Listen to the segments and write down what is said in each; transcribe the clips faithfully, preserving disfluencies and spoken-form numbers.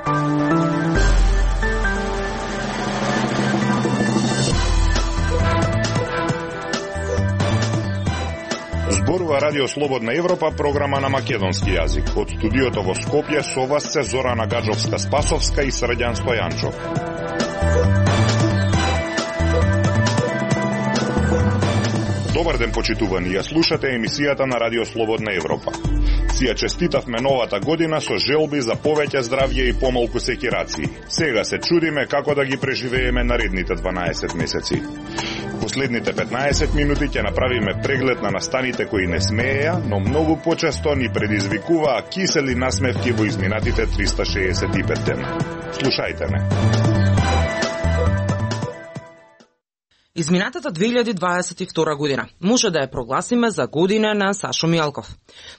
Зборува Радио Слободна Европа, програма на македонски јазик. Од студиото во Скопје со вас се Зорана Гаджовска-Спасовска и Срđan Стојанчов. Добар ден, почитувани, ја слушате емисијата на Радио Слободна Европа. Си ја честитавме новата година со желби за повеќе здравје и помалку секирации. Сега се чудиме како да ги преживееме наредните дванаесет месеци. Последните петнаесет минути ќе направиме преглед на настаните кои не смееја, но многу почесто ни предизвикуваа кисели насмевки во изминатите триста шеесет и пет дена. Слушајте ме. Изминатата две илјади дваесет и втора година може да ја прогласиме за година на Сашо Мијалков.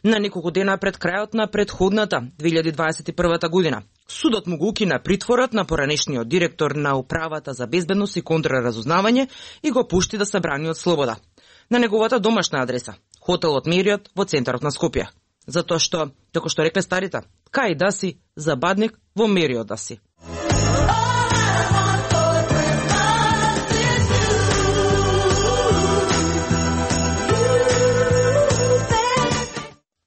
На неколку дена пред крајот на предходната две илјади дваесет и прва година, судот му го укина притворот на поранешниот директор на Управата за безбедност и контраразузнавање и го пушти да се брани од слобода на неговата домашна адреса, хотелот Мериот во центарот на Скопје. Затоа што, како што рекле старите, кај да си, забадник во Мериот да си.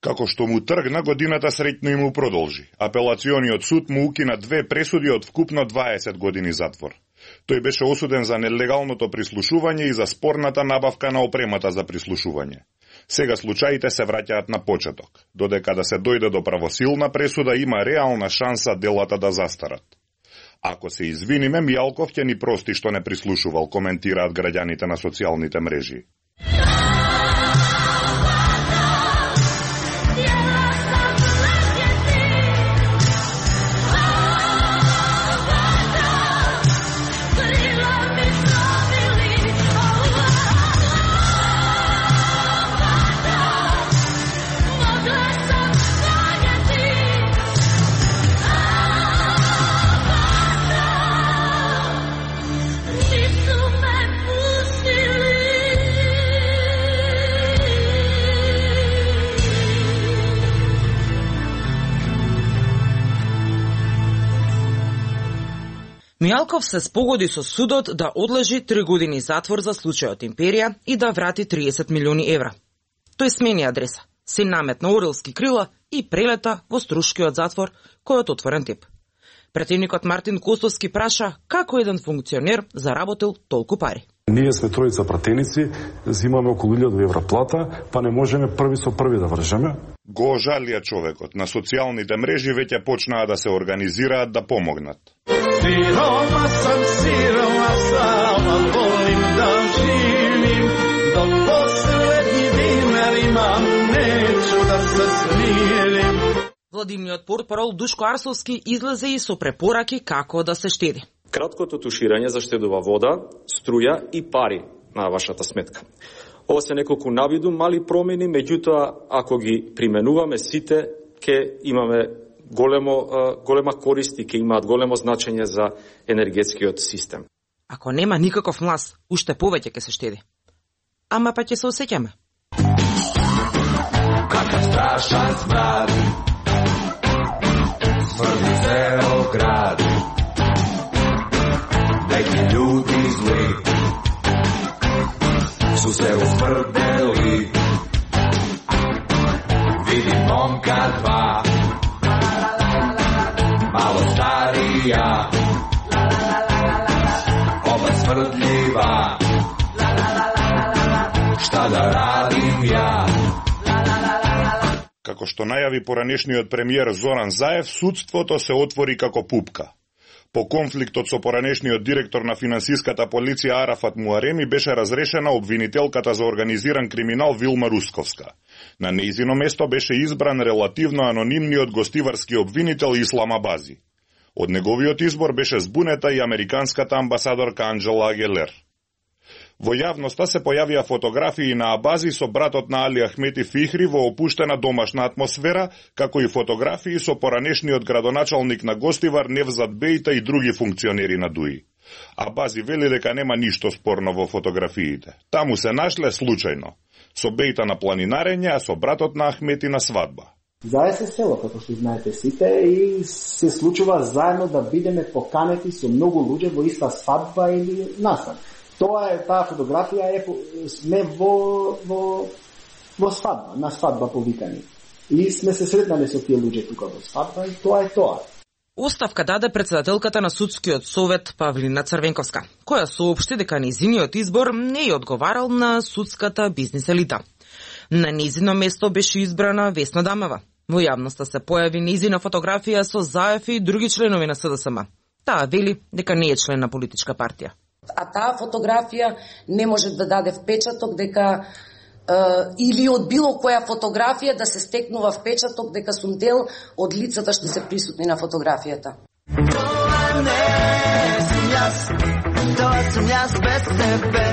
Како што му тргна, годината среќно и му продолжи. Апелациониот суд му укина две пресуди од вкупно дваесет години затвор. Тој беше осуден за нелегалното прислушување и за спорната набавка на опремата за прислушување. Сега случаите се враќаат на почеток. Додека да се дојде до правосилна пресуда, има реална шанса делата да застарат. Ако се извиниме, Мијалков ќе ни прости што не прислушувал, коментираат граѓаните на социјалните мрежи. Мијалков се спогоди со судот да одлежи три години затвор за случајот Империја и да врати триесет милиони евра. Тој смени адреса, се наметна орелски крила и прелета во Струшкиот затвор, којот отворен тип. Претивникот Мартин Костовски праша како еден функционер заработил толку пари. Ние сме тројца пратеници, зимаме околу илјада евра плата, па не можеме први со први да вржеме. Го жалија човекот. На социјалните мрежи веќе почнаа да се организираат да помогнат. Сирома сам, сирома сам, а волим да живим, до последни динар имам, нечу да се смирим. Владимниот портпарол Душко Арсовски излезе и со препораки како да се штеди. Краткото туширање заштедува вода, струја и пари на вашата сметка. Ова се неколку навиду мали промени, меѓутоа ако ги применуваме сите, ќе имаме големо голема корист и ќе имаат големо значење за енергетскиот систем. Ако нема никаков млас, уште повеќе ќе се штеди. Ама па ќе се осеќаме. Какав страшан смрад, смрди цел град, неки људи зли су се усмрдели. Видим момка два, malo starija, oba smrdljiva, šta da radim ja? Како што најави поранешниот премиер Зоран Заев, судството се отвори како пупка. По конфликтот со поранешниот директор на финансиската полиција Арафат Муареми беше разрешена обвинителката за организиран криминал Вилма Русковска. На нејзино место беше избран релативно анонимниот гостиварски обвинител Ислам Абази. Од неговиот избор беше збунета и американската амбасадорка Анџела Агелер. Во јавноста се појавија фотографии на Абази со братот на Али Ахмети Фихри во опуштена домашна атмосфера, како и фотографии со поранешниот градоначалник на Гостивар Невзат Бејта и други функционери на ДУИ. Абази вели дека нема ништо спорно во фотографиите. Таму се нашле случајно. Со Бејта на планинарење, а со братот на Ахмети на свадба. Заедно се село, како што знаете сите, и се случува заедно да бидеме поканети со многу луѓе во иста свадба или настан. Тоа е, таа фотографија е, сме во, во, во свадба, на свадба повикани. И сме се сретнали со тие луѓе тука во свадба и тоа е тоа. Оставка даде претседателката на Судскиот совет Павлина Црвенковска, која соопшти дека нејзиниот избор не ја одговарал на судската бизнис елита. На нејзино место беше избрана Весна Дамева. Во јавноста се појави нејзина фотографија со Заев и други членови на С Д С М. Таа вели дека не е член на политичка партија. А таа фотографија не може да даде впечаток дека Uh, или од било која фотографија да се стекнува впечаток дека сум дел од лицата што се присутни на фотографијата. Тоа не сум јас, тоа сум јас без тебе.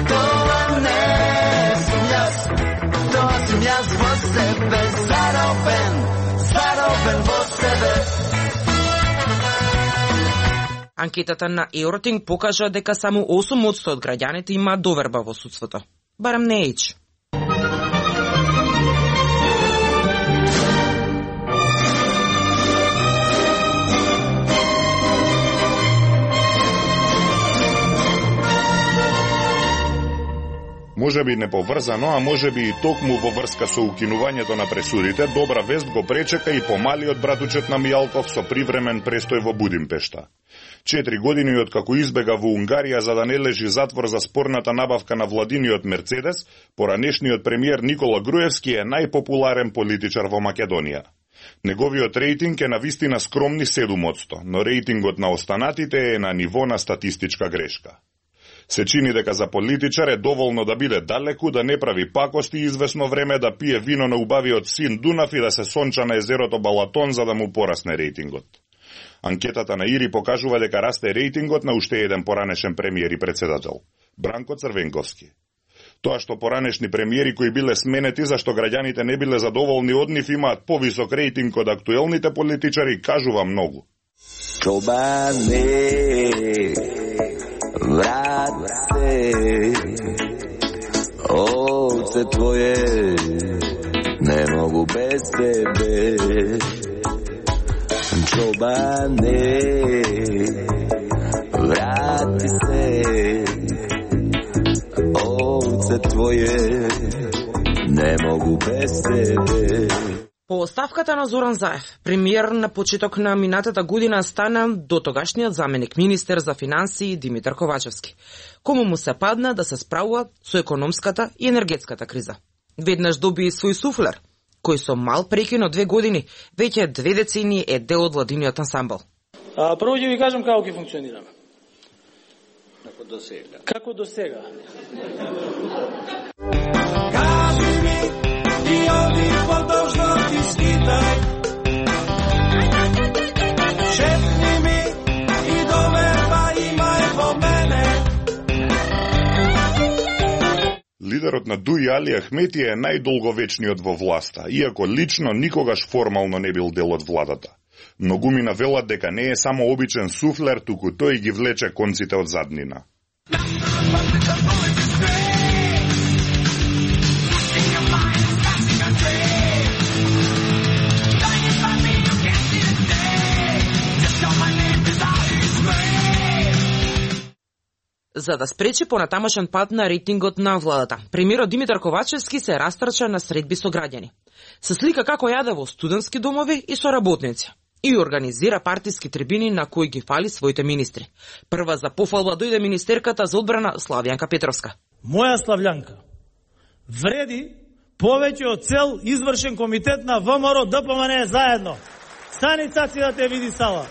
Тоа не сум јас, тоа сум јас во себе. Заробен, заробен во себе. Анкетата на Евротинг покажа дека само осум одсто од граѓаните има доверба во судството. Барам не еч. Можеби неповрзано, а можеби и токму во врска со укинувањето на пресудите, добра вест го пречека и помалиот братучет на Мијалков со привремен престој во Будимпешта. Четири години откако избега во Унгарија за да не лежи затвор за спорната набавка на владиниот Мерцедес, поранешниот премиер Никола Груевски е најпопуларен политичар во Македонија. Неговиот рейтинг е на вистина скромни седум одсто, но рейтингот на останатите е на ниво на статистичка грешка. Се чини дека за политичар е доволно да биде далеку, да не прави пакости и извесно време да пие вино на убавиот син Дунав и да се сонча на езерото Балатон за да му порасне рейтингот. Анкетата на Ири покажува дека расте рейтингот на уште еден поранешен премиер и председател, Бранко Црвенковски. Тоа што поранешни премиери кои биле сменети зашто граѓаните не биле задоволни од нив имаат повисок рейтинг од актуелните политичари, кажува многу. Чобане, врат се, овце твое, не могу без тебе. Чобане, врати се, овце твое, не могу без тебе. По оставката на Зоран Заев, премиер на почеток на минатата година стана дотогашниот заменик министер за финансии Димитар Ковачевски, кому му се падна да се справува со економската и енергетската криза. Веднаш доби и свој суфлер, кој со мал прекин од две години, веќе две децени е дел од владиниот ансамбл. А, прво ќе ви кажам како ќе функционираме. Како до сега. Како до сега. Кажи ми, и оди подолжно ти скитай. Шепни ми, и доверба имај во мене. Лидерот на Дуи Али Ахмети е најдолговечниот во власта, иако лично никогаш формално не бил дел од владата. Многумина велат дека не е само обичен суфлер, туку тој ги влече конците од заднина. За да спречи понатамошен пат на рейтингот на владата, премиерот Димитар Ковачевски се растрча на средби со граѓани. Се слика како јаде во студентски домови и со работници. И организира партиски трибини на кои ги фали своите министри. Прва за пофалба дојде министерката за одбрана Славјанка Петровска. Моја Славјанка вреди повеќе од цел извршен комитет на ВМРО Д П М Н заедно. Стани цаци да те види сала.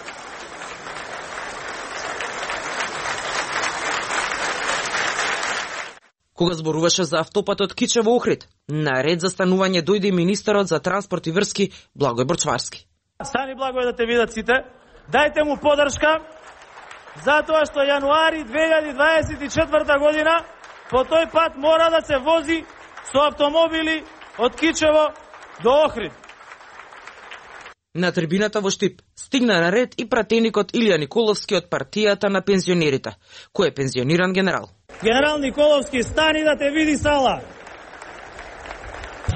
Кога зборуваше за автопатот Кичево Охрид, на ред за станување дојде министерот за транспорт и врски Благој Борчварски. Стани Благој да те видат сите. Дајте му подршка затоа што јануари две илјади дваесет и четврта година по тој пат мора да се вози со автомобили од Кичево до Охрид. На трибината во Штип стигна на ред и пратеникот Илија Николовски од партијата на пензионерите, кој е пензиониран генерал. Генерал Николовски, стани да те види сала.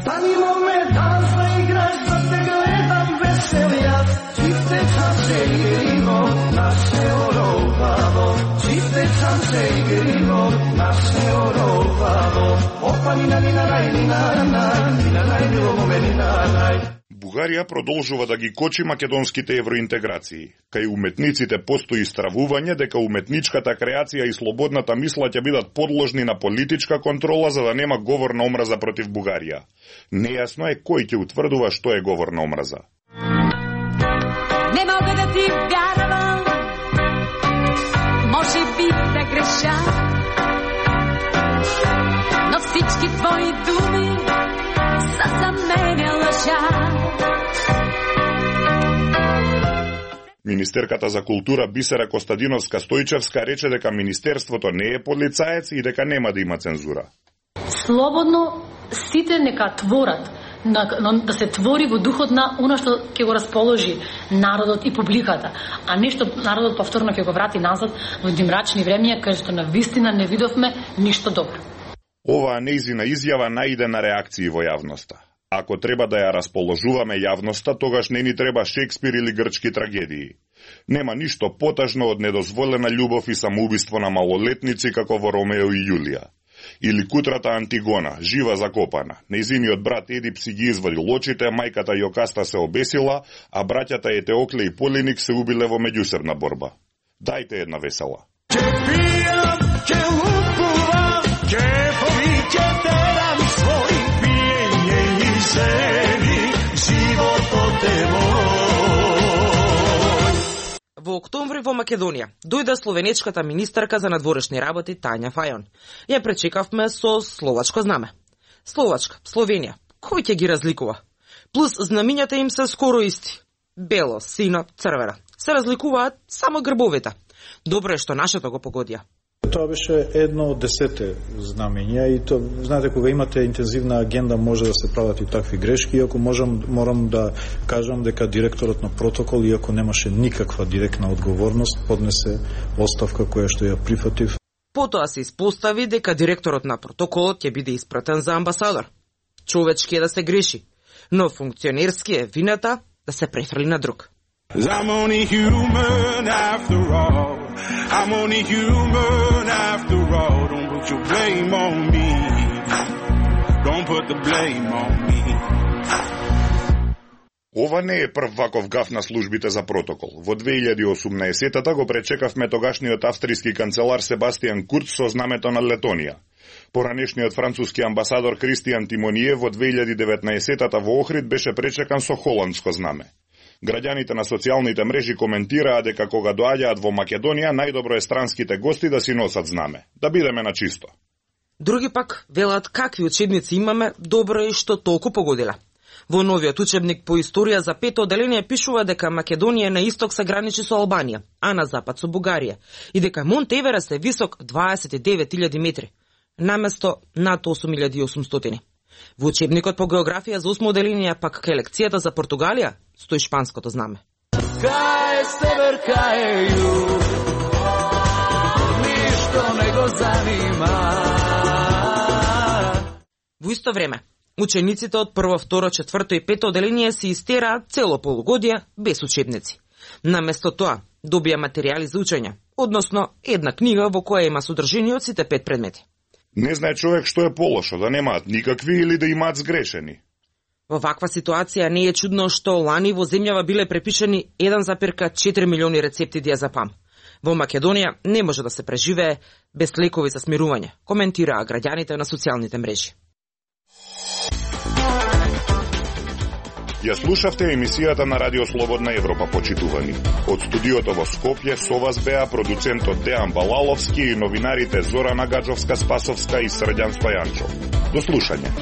Стани момент, да играш, да те гледам весел јас. Чифте чанче игрино, наше оробаво. Чифте чанче игрино, наше оробаво. Опа нина нина нај, нина нај, нина нај, било моме нина нај. Бугарија продолжува да ги кочи македонските евроинтеграции. Кај уметниците постои стравување дека уметничката креација и слободната мисла ќе бидат подложни на политичка контрола за да нема говор на омраза против Бугарија. Нејасно е кој ќе утврдува што е говор на омраза. Не мога да ти вярвам, може би да греша, но всички твои думи са за мене лъжа. Министерката за култура Бисера Костадиновска Стојчевска рече дека министерството не е полицаец и дека нема да има цензура. Слободно сите нека творат, да се твори во духот на она што ќе го расположи народот и публиката, а не што народот повторно ќе го врати назад во мрачни времиња кај што на вистина не видовме ништо добро. Оваа нејзина изјава најде на реакции во јавноста. Ако треба да ја расположуваме јавноста, тогаш не ни треба Шекспир или грчки трагедии. Нема ништо потажно од недозволена љубов и самоубиство на малолетници како во Ромео и Јулија. Или кутрата Антигона, жива закопана. Нејзиниот брат Едип си ги извадил очите, мајката Јокаста се обесила, а браќата Етеокле и Полиник се убиле во меѓусебна борба. Дајте една весела. Ќе пијам, ќе лупувам, ќе повиќе терам свој пиење и жени, животот е мој. Во октомври во Македонија дојде словенечката министарка за надворешни работи Тања Фајон. Ја пречекавме со словачко знаме. Словачка, Словенија, кој ќе ги разликува? Плюс знамињата им се скоро исти. Бело, сино, црвено. Се разликуваат само грбовите. Добро е што нашето го погодија. Тоа беше едно од десете знамења и то, знаете, кога имате интензивна агенда може да се прават и такви грешки, иако можам, морам да кажам дека директорот на протокол, иако немаше никаква директна одговорност, поднесе оставка која што ја прифатив. Потоа се испостави дека директорот на протоколот ќе биде испратен за амбасадор. Човечки е да се греши, но функционерски е вината да се префрли на друг. I'm only human after all. I'm only human after all. Don't put your blame on me. Don't put the blame on me. Ова не е прв ваков гаф на службите за протокол. Во две илјади и осумнаесета го пречекавме тогашниот австријски канцелар Себастијан Курц со знамето на Летонија. Поранешниот француски амбасадор Кристијан Тимоние во две илјади и деветнаесета во Охрид беше пречекан со холандско знаме. Граѓаните на социјалните мрежи коментираа дека кога доаѓаат во Македонија, најдобро е странските гости да си носат знаме, да бидеме на чисто. Други пак велат какви учебници имаме, добро е што толку погодиле. Во новиот учебник по историја за пето одделение пишува дека Македонија на исток се граничи со Албанија, а на запад со Бугарија, и дека Монт Еверест е висок дваесет и девет илјади метри, наместо над осум илјади и осумстотини. Во учебникот по географија за осмо одделение пак кај лекцијата за Португалија стои шпанското знаме. Кај север, кај југ, ништо не го занима. Во исто време, учениците од прво, второ, четврто и пето одделение се истераат цело полугодие без учебници. Наместо тоа, добија материјали за учење, односно една книга во која има содржини од сите пет предмети. Не знае човек што е полошо, да немаат никакви или да имаат сгрешени. Во ваква ситуација не е чудно што лани во земјава биле препишани еден зарез четири милиони рецепти диазепам. Во Македонија не може да се преживее без лекови за смирување, коментираа граѓаните на социјалните мрежи. Ја слушавте емисијата на Радио Слободна Европа, почитувани. Од студиото во Скопје со вас беа продуцентот Дејан Балаловски и новинарите Зорана Гаджовска-Спасовска и Срđan Стојанчов. До слушање.